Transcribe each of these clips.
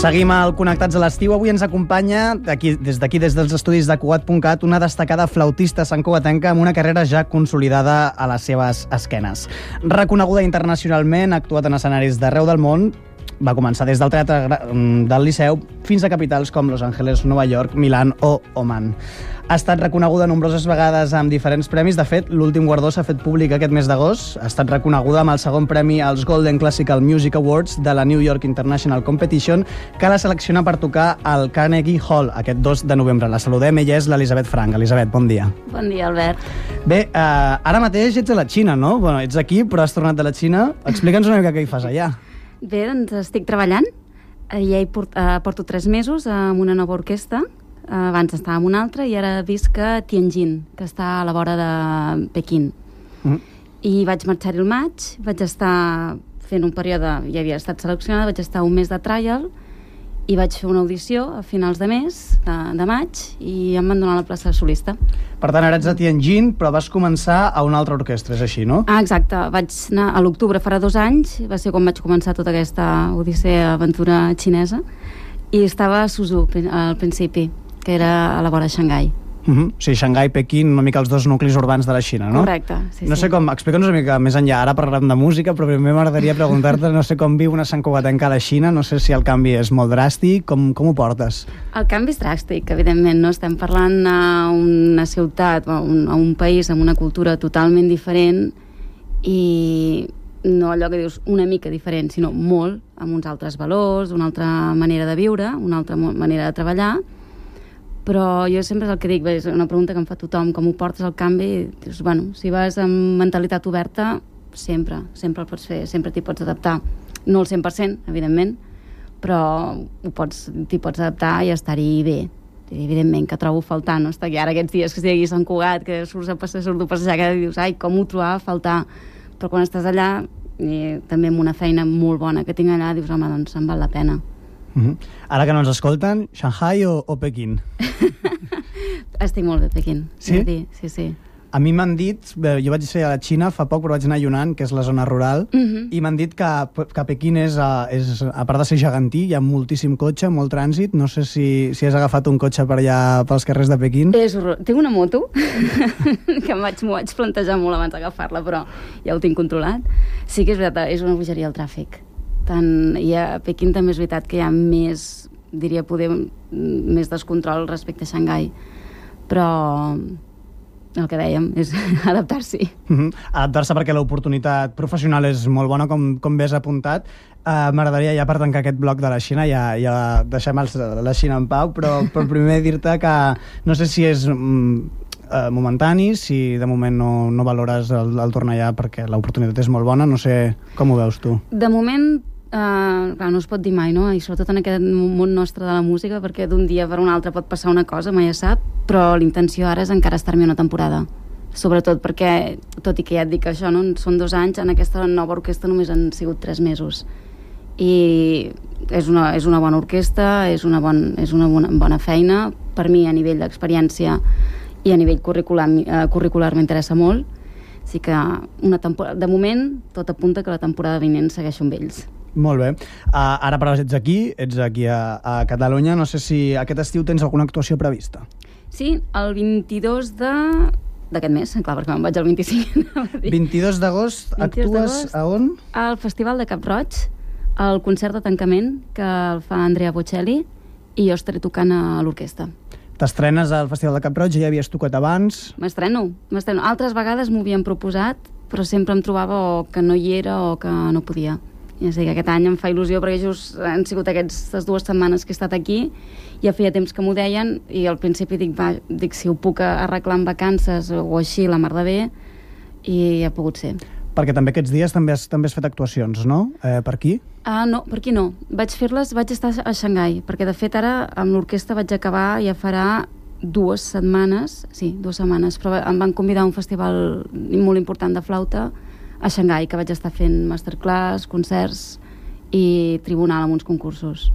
Seguim al Connectats a l'estiu. Avui ens acompanya, des dels estudis de Cugat.cat, una destacada flautista santcugatenca amb una carrera ja consolidada a les seves esquenes. Reconeguda internacionalment, ha actuat en escenaris d'arreu del món, va començar des del Teatre del Liceu fins a capitals com Los Angeles, Nova York, Milán o Oman. Ha estat reconeguda nombroses vegades amb diferents premis. De fet, l'últim guardó s'ha fet públic aquest mes d'agost. Ha estat reconeguda amb el segon premi als Golden Classical Music Awards de la New York International Competition, que la selecciona per tocar al Carnegie Hall aquest 2 de novembre. La saludem, ella és l'Elisabet Frank. Elisabet, bon dia. Bon dia, Albert. Bé, ara mateix ets a la Xina, no? Bueno, ets aquí, però has tornat de la Xina. Explica'ns una mica què hi fas allà. Bé, doncs estic treballant. Ja hi porto 3 mesos amb una nova orquestra. Abans estava amb una altra i ara visc a Tianjin, que està a la vora de Pequín. I vaig marxar-hi al maig, vaig estar fent un període, ja havia estat seleccionada, vaig estar un mes de trial i vaig fer una audició a finals de mes, de maig, i em van donar la plaça de solista. Per tant, ara ets a Tianjin, però vas començar a una altra orquestra, és així, no? Exacte. Vaig anar a l'octubre, farà 2 anys, va ser quan vaig començar tota aquesta odissea aventura xinesa, i estava a Suzhou al principi, que era a la vora de Xangai. O sigui, Xangai, Pequín, una mica els 2 nuclis urbans de la Xina, no? Correcte, sí. No sé com, explica'ns una mica més enllà, ara parlarem de música, però primer m'agradaria preguntar-te, no sé com viu una santcugatenca a la Xina, no sé si el canvi és molt dràstic, com ho portes? El canvi és dràstic, evidentment, no? Estem parlant d'una ciutat, a un país amb una cultura totalment diferent i no allò que dius una mica diferent, sinó molt, amb uns altres valors, una altra manera de viure, una altra manera de treballar. Però jo sempre és el que dic, és una pregunta que em fa tothom, com ho portes al canvi? Dius, bueno, si vas amb mentalitat oberta, sempre el pots fer, sempre t'hi pots adaptar. No al 100%, evidentment, però t'hi pots adaptar i estar-hi bé. I evidentment que trobo faltant, no? Està aquí ara aquests dies que estic aquí a Sant Cugat, que surto a passejar, que dius, ai, com ho trobava a faltar. Però quan estàs allà, i també amb una feina molt bona que tinc allà, dius, home, doncs em val la pena. Ara que no ens escolten, Shanghai o Pequín? Estic molt bé a Pequín. Sí? Sí. A mi m'han dit, jo vaig ser a la Xina fa poc, però vaig anar a Yunnan, que és la zona rural, i m'han dit que Pequín és, a part de ser gegantí, hi ha moltíssim cotxe, molt trànsit. No sé si has agafat un cotxe per allà pels carrers de Pequín. Tinc una moto que m'ho vaig plantejar molt abans d'agafar-la, però ja ho tinc controlat. Sí que és veritat, és una bogeria el tràfic. I a Pequín també és veritat que hi ha més, diria poder, més descontrol respecte a Xangai, però el que dèiem és adaptar-s'hi. Adaptar-se perquè l'oportunitat professional és molt bona, com bé has apuntat. M'agradaria ja per tancar aquest bloc de la Xina, ja deixem la Xina en pau, però primer dir-te que no sé si és momentani, si de moment no valores el tornar allà perquè l'oportunitat és molt bona, no sé com ho veus tu. De moment, clar, no es pot dir mai, no? I sobretot en aquest món nostre de la música, perquè d'un dia per un altre pot passar una cosa, mai es sap, però l'intenció ara és encara estar-me una temporada. Sobretot perquè, tot i que ja et dic això, no? Són 2 anys, en aquesta nova orquestra només han sigut 3 mesos. I és una bona orquestra, és una bona feina, per mi a nivell d'experiència i a nivell curricular m'interessa molt. Així que de moment tot apunta que la temporada vinent segueixo amb ells. Molt bé. Ara però ets aquí a Catalunya. No sé si aquest estiu tens alguna actuació prevista. Sí, el 22 d'aquest mes, clar, perquè me'n vaig al 25. 22 d'agost actues a on? Al Festival de Cap-roig, el concert de tancament que el fa Andrea Bocelli i jo estaré tocant a l'orquestra. T'estrenes al Festival de Cap-roig, ja havies tocat abans? M'estreno. Altres vegades m'ho havien proposat, però sempre em trobava o que no hi era o que no podia. Ja sé que aquest any em fa il·lusió perquè just han sigut aquestes 2 setmanes que he estat aquí, ja feia temps que m'ho deien i al principi dic si ho puc arreglar en vacances o així, la mar de bé, i ha pogut ser. Perquè també aquests dies també has fet actuacions, no? Per aquí? No, per aquí no. Vaig estar a Xangai, perquè de fet ara amb l'orquestra vaig acabar, ja farà 2 setmanes, però em van convidar a un festival molt important de flauta a Xangai, que vaig estar fent masterclass, concerts i tribunal amb uns concursos.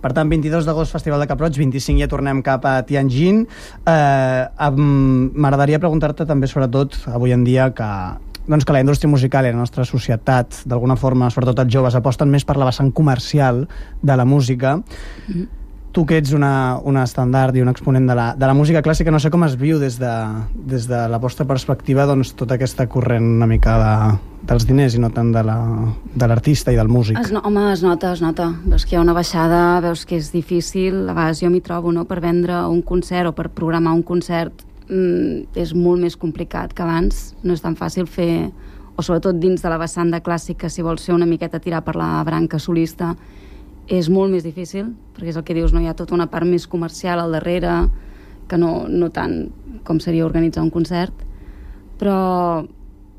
Per tant, 22 d'agost Festival de Cap-roig, 25 ja tornem cap a Tianjin. M'agradaria preguntar-te també, sobretot, avui en dia, que doncs, que la indústria musical i la nostra societat, d'alguna forma, sobretot els joves, aposten més per la vessant comercial de la música. Tu que ets una estandard i un exponent de la música clàssica, no sé com es viu des de la vostra perspectiva, doncs, tota aquesta corrent una mica dels diners i no tant de l'artista i del músic. Home, es nota. Veus que hi ha una baixada, veus que és difícil. A vegades jo m'hi trobo, no?, per vendre un concert o per programar un concert és molt més complicat que abans. No és tan fàcil fer, o sobretot dins de la vessant de clàssica, si vols fer una miqueta tirar per la branca solista, és molt més difícil, perquè és el que dius, no hi ha tota una part més comercial al darrere, que no tant com seria organitzar un concert, però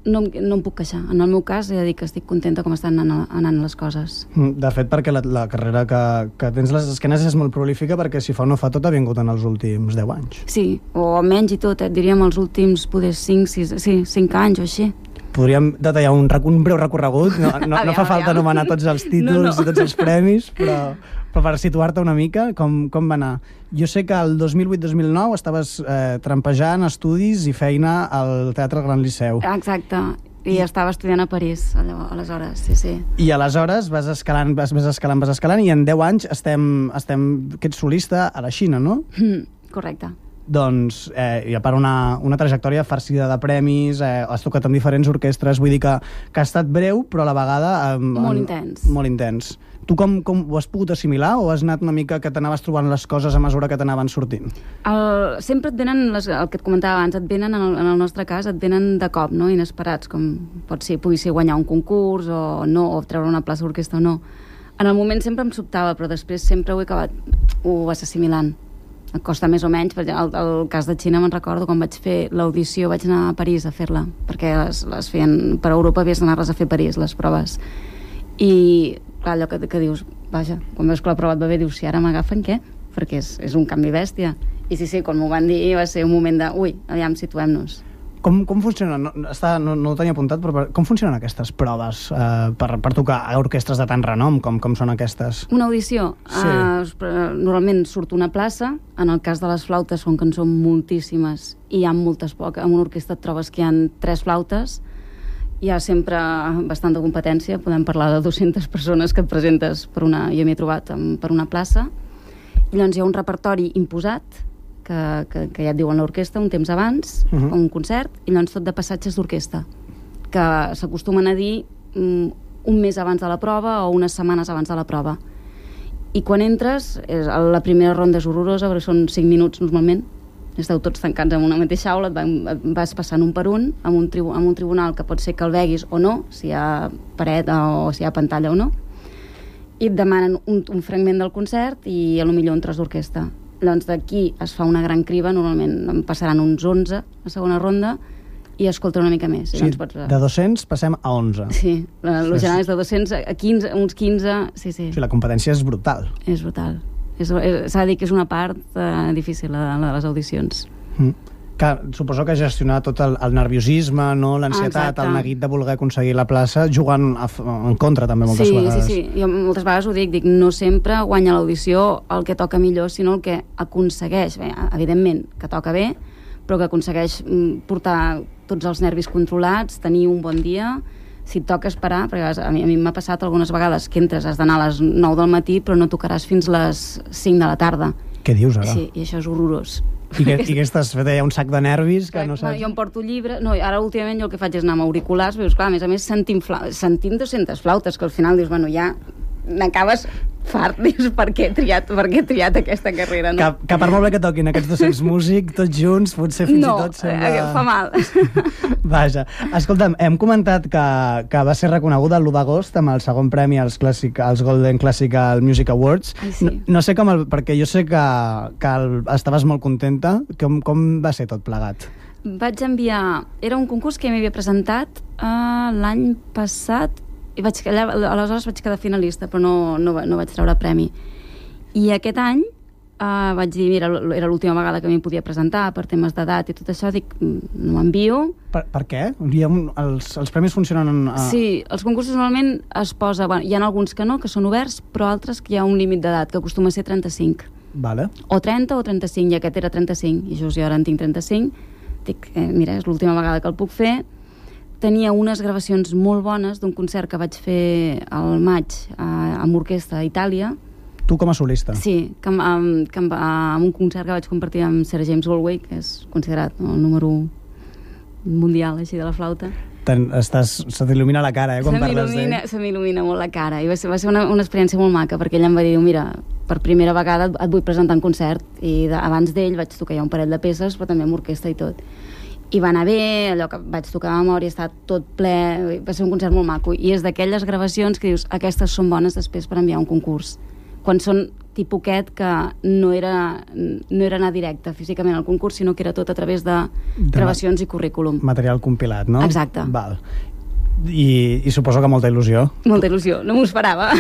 no em puc queixar. En el meu cas, he de dir que estic contenta com estan anant les coses. De fet, perquè la carrera que tens les esquenes és molt prolífica, perquè si fa o no fa tot ha vingut en els últims 10 anys. Sí, o menys i tot, diríem els últims, poder 5 anys o així. Podríem detallar un breu recorregut, no fa falta anomenar tots els títols i tots els premis, però per situar-te una mica, com va anar? Jo sé que el 2008-2009 estaves trampejant estudis i feina al Teatre Gran Liceu. Exacte, i estava estudiant a París, aleshores, sí. I aleshores vas escalant, i en 10 anys que ets solista a la Xina, no? Correcte. Doncs, i a part una trajectòria farcida de premis, has tocat amb diferents orquestres, vull dir que ha estat breu, però a la vegada... Molt intens. Molt intens. Tu com ho has pogut assimilar, o has anat una mica que t'anaves trobant les coses a mesura que t'anaven sortint? Sempre et venen, el que et comentava abans, et venen, en el nostre cas, et venen de cop, no?, inesperats, com pugui ser guanyar un concurs o no, o treure una plaça d'orquestra o no. En el moment sempre em sobtava, però després sempre ho vas assimilant. Em costa més o menys, perquè el cas de Xina me'n recordo, quan vaig fer l'audició vaig anar a París a fer-la, perquè les feien per Europa, havies d'anar-les a fer a París, les proves. I clar, allò que dius, vaja, quan veus que la prova et va bé, dius, si ara m'agafen, què? Perquè és un canvi bèstia. I sí, quan m'ho van dir va ser un moment de, aviam, situem-nos. Com funciona? No ho tenia apuntat, però com funcionen aquestes proves per tocar a orquestres de tant renom com són aquestes? Una audició? Sí. Normalment surt una plaça. En el cas de les flautes, com que en són moltíssimes i hi ha moltes poques, en una orquestra et trobes que hi ha 3 flautes, hi ha sempre bastanta competència. Podem parlar de 200 persones que et presentes jo m'hi he trobat per una plaça, i llavors hi ha un repertori imposat que ja et diuen l'orquestra un temps abans, un concert, i llavors tot de passatges d'orquestra, que s'acostumen a dir un mes abans de la prova o unes setmanes abans de la prova. I quan entres, la primera ronda és horrorosa, perquè són 5 minuts normalment, esteu tots tancats en una mateixa aula, et vas passant un per un, amb un tribunal que pot ser que el veguis o no, si hi ha paret o si hi ha pantalla o no, i et demanen un fragment del concert i potser un tros d'orquestra. Llavors d'aquí es fa una gran criba, normalment en passaran uns 11 a segona ronda, i escolta una mica més. Sí, de 200 passem a 11. Sí, el general és de 200 a 15, uns 15, sí. Sí, la competència és brutal. És brutal. S'ha de dir que és una part difícil, la de les audicions. Suposo que gestionar tot el nerviosisme, l'ansietat, el neguit de voler aconseguir la plaça, jugant en contra també moltes vegades. Sí. Jo moltes vegades ho dic, no sempre guanya l'audició el que toca millor, sinó el que aconsegueix, evidentment que toca bé, però que aconsegueix portar tots els nervis controlats, tenir un bon dia. Si et toca esperar, perquè a mi m'ha passat algunes vegades que entres, has d'anar a les 9 del matí, però no tocaràs fins les 5 de la tarda. Què dius ara? Sí, i això és horrorós. I què estàs fet? Hi ha un sac de nervis que no saps... Jo em porto llibre... No, ara últimament jo el que faig és anar amb auriculars, veus, clar, a més sentint 200 flautes, que al final dius, ja n'acabes fart, dius, per què he triat aquesta carrera, no? Que per molt bé que toquin aquests 200 músics, tots junts, potser fins i tot sembla... No, fa mal. Vaja. Escolta'm, hem comentat que va ser reconeguda l'1 d'agost amb el segon premi als Golden Classical Music Awards. Ai, sí. No sé com... Perquè jo sé que estaves molt contenta. Com va ser tot plegat? Vaig enviar... Era un concurs que m'havia presentat l'any passat, i aleshores vaig quedar finalista, però no vaig treure premi. I aquest any vaig dir, mira, era l'última vegada que m'hi podia presentar per temes d'edat i tot això, dic, no m'envio. Per què? Els premis funcionen... Sí, els concursos normalment es posa... Hi ha alguns que no, que són oberts, però altres que hi ha un límit d'edat, que acostuma a ser 35. Vale. O 30 o 35, i aquest era 35, i just jo ara en tinc 35. Dic, mira, és l'última vegada que el puc fer. tenia unes gravacions molt bones d'un concert que vaig fer al maig amb orquestra a Itàlia. Tu com a solista? Sí, amb un concert que vaig compartir amb Sir James Galway, que és considerat el número 1 mundial així de la flauta. Se t'il·lumina la cara, quan parles d'ell. Se m'il·lumina molt la cara, i va ser una experiència molt maca, perquè ell em va dir, mira, per primera vegada et vull presentar en concert, i abans d'ell vaig tocar ja un parell de peces, però també amb orquestra i tot. I va anar bé, allò que vaig tocar a memòria, està tot ple, va ser un concert molt maco, i és d'aquelles gravacions que dius, aquestes són bones després per enviar un concurs. Quan són tipus aquest, que no era anar directe físicament al concurs, sinó que era tot a través de gravacions i currículum. Material compilat, no? Exacte. Val. I suposo que molta il·lusió. Molta il·lusió, no m'ho esperava.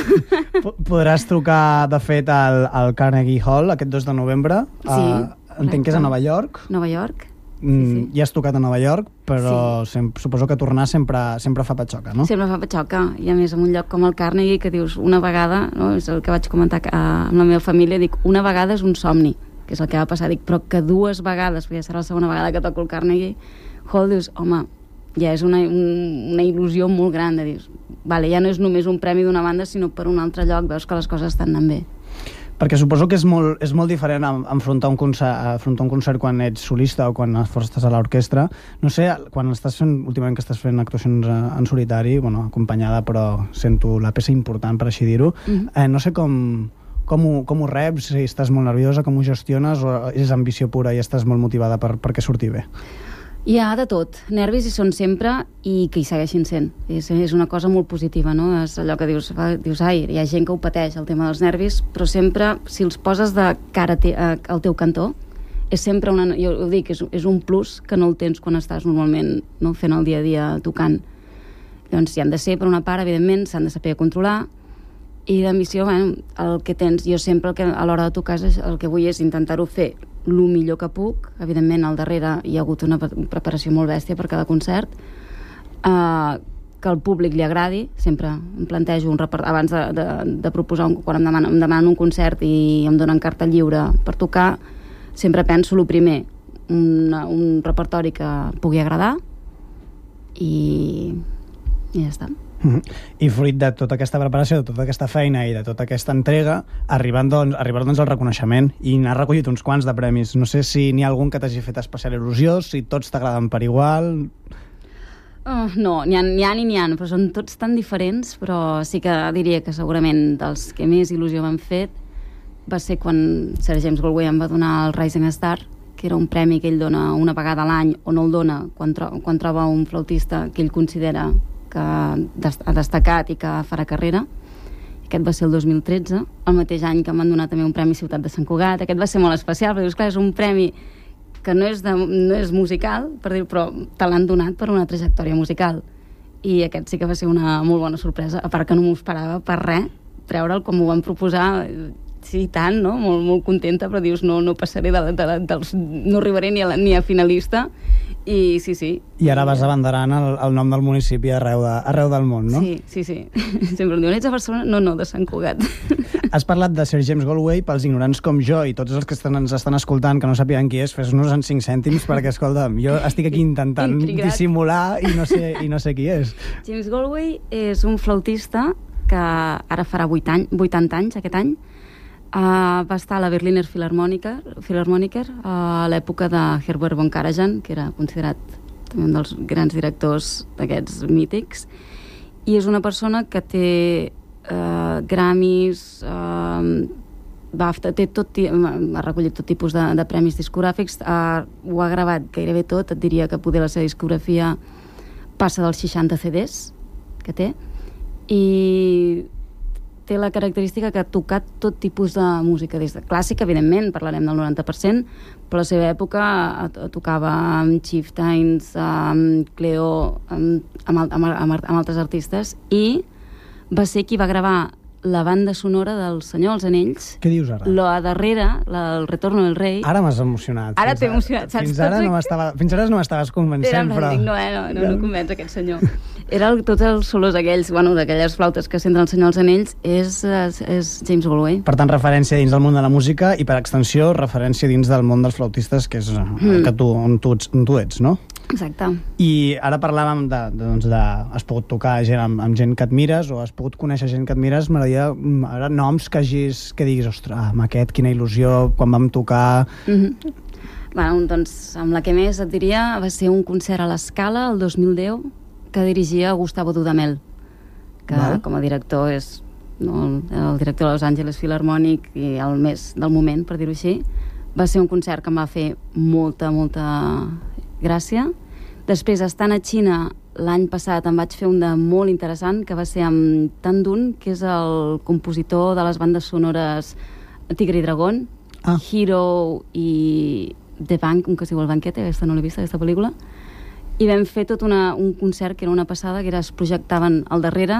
Podràs trucar, de fet, al Carnegie Hall aquest 2 de novembre. Sí. Entenc que és a Nova York. Nova York. Sí. Ja has tocat a Nova York, però suposo que tornar sempre fa patxoca, no? Sempre fa patxoca, i a més en un lloc com el Carnegie, que dius una vegada, no? És el que vaig comentar amb la meva família, dic, una vegada és un somni, que és el que va passar, dic, però que 2 vegades, perquè serà la segona vegada que toco el Carnegie Hall, dius, home, ja és una il·lusió molt gran, de dius, vale, ja no és només un premi d'una banda, sinó per un altre lloc, veus que les coses estan anant bé. Perquè suposo que és molt diferent enfrontar un concert quan ets solista o quan estàs a l'orquestra. No sé, quan últimament que estàs fent actuacions en solitari, bueno, acompanyada, però sento la peça important, per així dir-ho, no sé com ho reps, si estàs molt nerviosa, com ho gestiones, o és ambició pura i estàs molt motivada perquè surti bé? Hi ha de tot. Nervis hi són sempre i que hi segueixin sent. És una cosa molt positiva, no? És allò que dius, ai, hi ha gent que ho pateix, el tema dels nervis, però sempre, si els poses de cara al teu cantó, és sempre jo ho dic, és un plus que no el tens quan estàs normalment, no, fent el dia a dia tocant. Llavors, hi han de ser, per una part, evidentment, s'han de saber controlar, i d'ambició, bueno, el que tens, jo sempre a l'hora de tocar el que vull és intentar-ho fer el millor que puc. Evidentment al darrere hi ha hagut una preparació molt bèstia per cada concert, que al públic li agradi. Sempre em plantejo abans de proposar, quan em demanen un concert i em donen carta lliure per tocar, sempre penso el primer, un repertori que pugui agradar, i ja està. I fruit de tota aquesta preparació, de tota aquesta feina i de tota aquesta entrega, arribar doncs al reconeixement, i n'has recollit uns quants de premis. No sé si n'hi ha algun que t'hagi fet especial il·lusió, si tots t'agraden per igual. No, n'hi ha, però són tots tan diferents, però sí que diria que segurament dels que més il·lusió m'han fet va ser quan Sir James Galway em va donar el Rising Star, que era un premi que ell dona una vegada a l'any, o no el dona quan troba un flautista que ell considera que ha destacat i que farà carrera. Aquest va ser el 2013, el mateix any que em van donar també un premi Ciutat de Sant Cugat. Aquest va ser molt especial, perquè és clar, és un premi que no és musical, però te l'han donat per una trajectòria musical, i aquest sí que va ser una molt bona sorpresa, a part que no m'ho esperava per res, treure'l com m'ho van proposar. Sí, tant, no? Molt contenta, però dius, no passaré no arribaré ni a finalista, i sí. I ara vas abanderant el nom del municipi arreu del món, no? Sí. Sempre em diuen, ets a Barcelona? No, de Sant Cugat. Has parlat de Sir James Galway, pels ignorants com jo i tots els que ens estan escoltant que no sàpiguen qui és, fes-nos en 5 cèntims, perquè, escolta'm, jo estic aquí intentant dissimular i no sé qui és. James Galway és un flautista que ara farà 80 anys aquest any. Va estar a la Berliner Philharmoniker a l'època de Herbert von Karajan, que era considerat també un dels grans directors d'aquests mítics, i és una persona que té Grammys, BAFTA, ha recollit tot tipus de premis discogràfics, ho ha gravat gairebé tot. Et diria que poder la seva discografia passa dels 60 CDs que té, i té la característica que ha tocat tot tipus de música, des de clàssica, evidentment, parlarem del 90%, però a la seva època tocava amb Chieftains, amb Cleo, amb altres artistes, i va ser qui va gravar la banda sonora del Senyor dels Anells. Què dius ara? La darrera, el Retorno del Rei. Ara m'has emocionat. Ara t'he emocionat, saps? Fins ara no m'estaves convencent, però... No convenç aquest senyor. Tots els solos aquells, d'aquelles flautes que senten el Senyor dels Anells, és James Galway. Per tant, referència dins del món de la música i, per extensió, referència dins del món dels flautistes, que és on tu ets, no? Exacte. I ara parlàvem has pogut tocar amb gent que admires o has pogut conèixer gent que admires. M'agradaria ara noms que diguis, ostres, amb aquest, quina il·lusió, quan vam tocar... Doncs amb la que més et diria va ser un concert a l'Escala el 2010 que dirigia Gustavo Dudamel, que com a director és el director de Los Angeles Philharmonic i el més del moment, per dir-ho així. Va ser un concert que em va fer molta gràcia. Després, estant a Xina l'any passat, em vaig fer un de molt interessant, que va ser amb Tan Dun, que és el compositor de les bandes sonores Tigre i Dragón, Hero i The Bank, un que es diu El Banquete, aquesta no l'he vista, aquesta pel·lícula, i vam fer tot un concert que era una passada, que es projectaven al darrere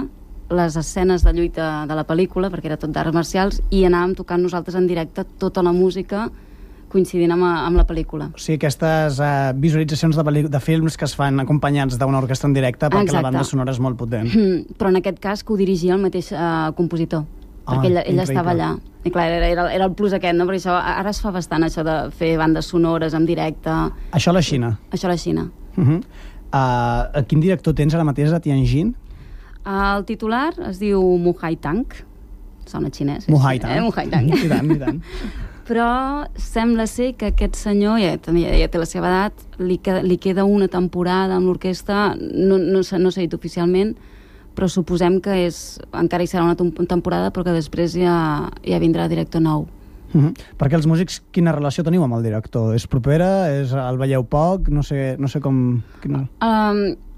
les escenes de lluita de la pel·lícula, perquè era tot d'arts marcials, i anàvem tocant nosaltres en directe tota la música coincidint amb la pel·lícula. O sigui, aquestes visualitzacions de films que es fan acompanyats d'una orquestra en directe perquè la banda sonora és molt potent. Però en aquest cas que ho dirigia el mateix compositor, perquè ell estava allà. I clar, era el plus aquest, no? Perquè això, ara es fa bastant, això de fer bandes sonores en directe. Això a la Xina? Això a la Xina. Quin director tens ara mateix a Tianjin? El titular es diu Muhai Tang. Sona xinès. Muhai Tang. Muhai Tang. I tant. Però sembla ser que aquest senyor ja té la seva edat, li queda una temporada amb l'orquestra, no s'ha dit oficialment, però suposem que encara hi serà una temporada, però que després ja vindrà director nou. Perquè els músics, quina relació teniu amb el director? És propera? El veieu poc? No sé com...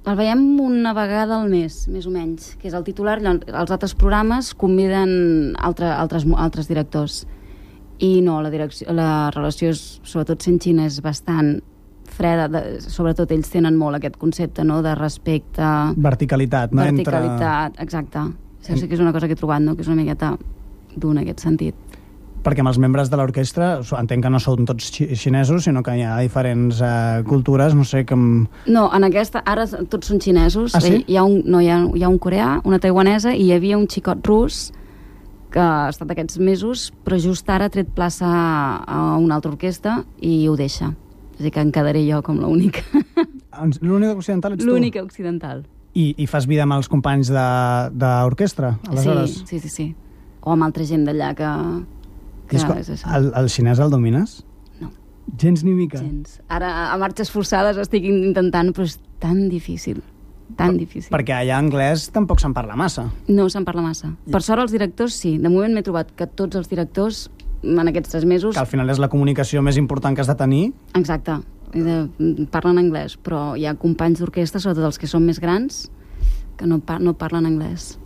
El veiem una vegada al mes, més o menys, que és el titular. Els altres programes conviden altres directors. I no, la relació, sobretot sent Xina, és bastant freda. Sobretot ells tenen molt aquest concepte, no?, de respecte... Verticalitat, no? Verticalitat, exacte. Això sí que és una cosa que he trobat, no?, que és una miqueta dur en aquest sentit. Perquè amb els membres de l'orquestra, entenc que no són tots xinesos, sinó que hi ha diferents cultures, no sé com... No, en aquesta, ara tots són xinesos. Ah, sí? Hi ha un coreà, una taiwanesa, i hi havia un xicot rus que ha estat aquests mesos, però just ara ha tret plaça a una altra orquestra i ho deixa. És a dir, que em quedaré jo com l'única. L'única occidental ets tu? L'única occidental. I fas vida amb els companys d'orquestra, aleshores? Sí. O amb altra gent d'allà que el xinès el domines? No. Gens ni mica? Gens. Ara, a marxes forçades estic intentant, però és tan difícil. Tan difícil. Perquè allà anglès tampoc se'n parla massa. No se'n parla massa. Per sort els directors sí. De moment m'he trobat que tots els directors en aquests 3 mesos... Que al final és la comunicació més important que has de tenir. Exacte. Parlen anglès, però hi ha companys d'orquestra, sobretot els que són més grans, que no parlen anglès.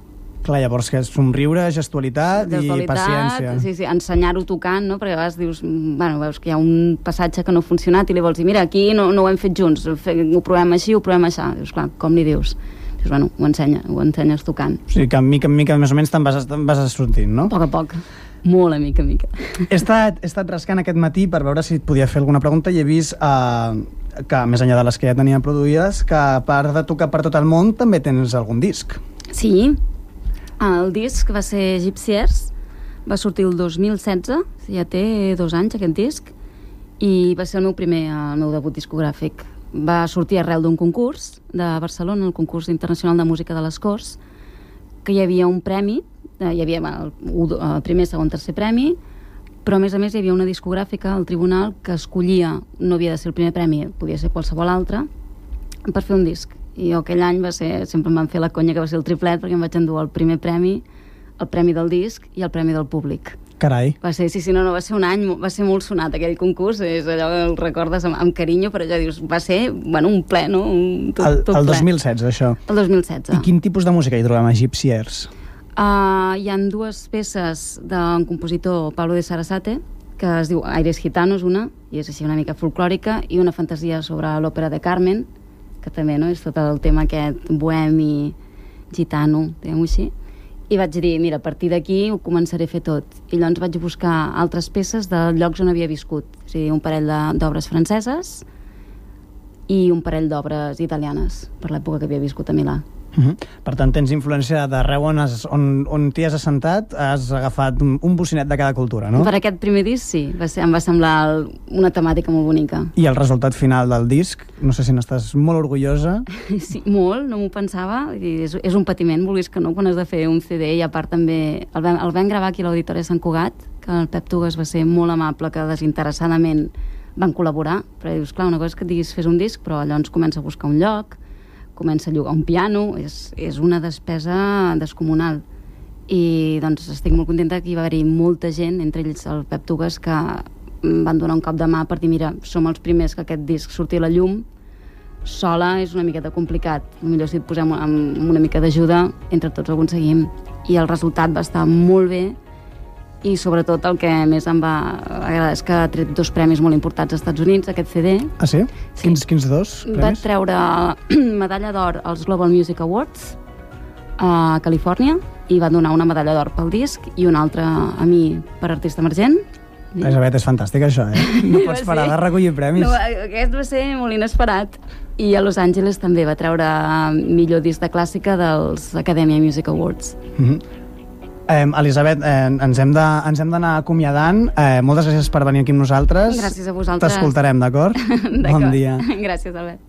Clar, llavors que és somriure, gestualitat i paciència. Sí, ensenyar-ho tocant, no? Perquè a vegades dius, veus que hi ha un passatge que no ha funcionat i li vols dir, mira, aquí no ho hem fet junts, ho provem així, ho provem així. Dius, clar, com li dius? Dius, ho ensenyes tocant. O sigui, que mica en mica, més o menys, te'n vas sortint, no? A poc. Molt a mica. He estat rascant aquest matí per veure si et podia fer alguna pregunta i he vist que, més enllà de les que ja tenia produïdes, que a part de tocar per tot el món, també tens algun disc. Sí. El disc va ser Gypsiers, va sortir el 2016, ja té 2 anys aquest disc, i va ser el meu debut discogràfic. Va sortir arrel d'un concurs de Barcelona, el concurs internacional de música de les Corts, que hi havia un premi, hi havia el primer, segon, tercer premi, però a més hi havia una discogràfica al tribunal que escollia, no havia de ser el primer premi, podia ser qualsevol altre, per fer un disc. I jo aquell any sempre em van fer la conya que va ser el triplet, perquè em vaig endur el primer premi, el premi del disc i el premi del públic. Carai. Va ser un any, va ser molt sonat aquell concurs, és allò que el recordes amb carinyo, però ja dius, va ser un ple, no? El 2016, això. El 2016. I quin tipus de música hi trobem a Gypsiers? Hi ha 2 peces d'un compositor, Pablo de Sarasate, que es diu Aires Gitanos, una, i és així una mica folclòrica, i una fantasia sobre l'òpera de Carmen, que també, no?, és tot el tema aquest bohemi, gitano, diguem-ho així. I vaig dir, mira, a partir d'aquí ho començaré a fer tot. I llavors vaig buscar altres peces de llocs on havia viscut. O sigui, un parell d'obres franceses i un parell d'obres italianes, per l'època que havia viscut a Milà. Per tant, tens influència d'arreu on t'hi has assentat, has agafat un bocinet de cada cultura, no? Per aquest primer disc, sí. Em va semblar una temàtica molt bonica. I el resultat final del disc, no sé si n'estàs molt orgullosa. Sí, molt, no m'ho pensava. És un patiment, vulguis que no, quan has de fer un CD, i a part també el vam gravar aquí a l'Auditori de Sant Cugat, que el Pep Tugas va ser molt amable, que desinteressadament van col·laborar, però dius, clar, una cosa és que et diguis fes un disc, però llavors comença a buscar un lloc, comença a llogar un piano, és una despesa descomunal. I doncs estic molt contenta que hi va haver-hi molta gent, entre ells el Pep Tugas, que van donar un cop de mà per dir, mira, som els primers que aquest disc surti a la llum, sola és una miqueta complicat, potser si et posem amb una mica d'ajuda, entre tots ho aconseguim. I el resultat va estar molt bé, i sobretot el que més em va agradar és que ha tret 2 premis molt importants als Estats Units, aquest CD. Ah, sí? Sí. Quins 2 premis? Va treure medalla d'or als Global Music Awards a Califòrnia, i va donar una medalla d'or pel disc i una altra a mi per artista emergent. Elisabet, és fantàstic això, No pots parar de recollir premis. No, aquest va ser molt inesperat. I a Los Angeles també va treure millor disc de clàssica dels Academia Music Awards. Elisabet, ens hem d'anar acomiadant. Moltes gràcies per venir aquí amb nosaltres. Gràcies a vosaltres. T'escoltarem, d'acord? Bon dia. Gràcies, Albert.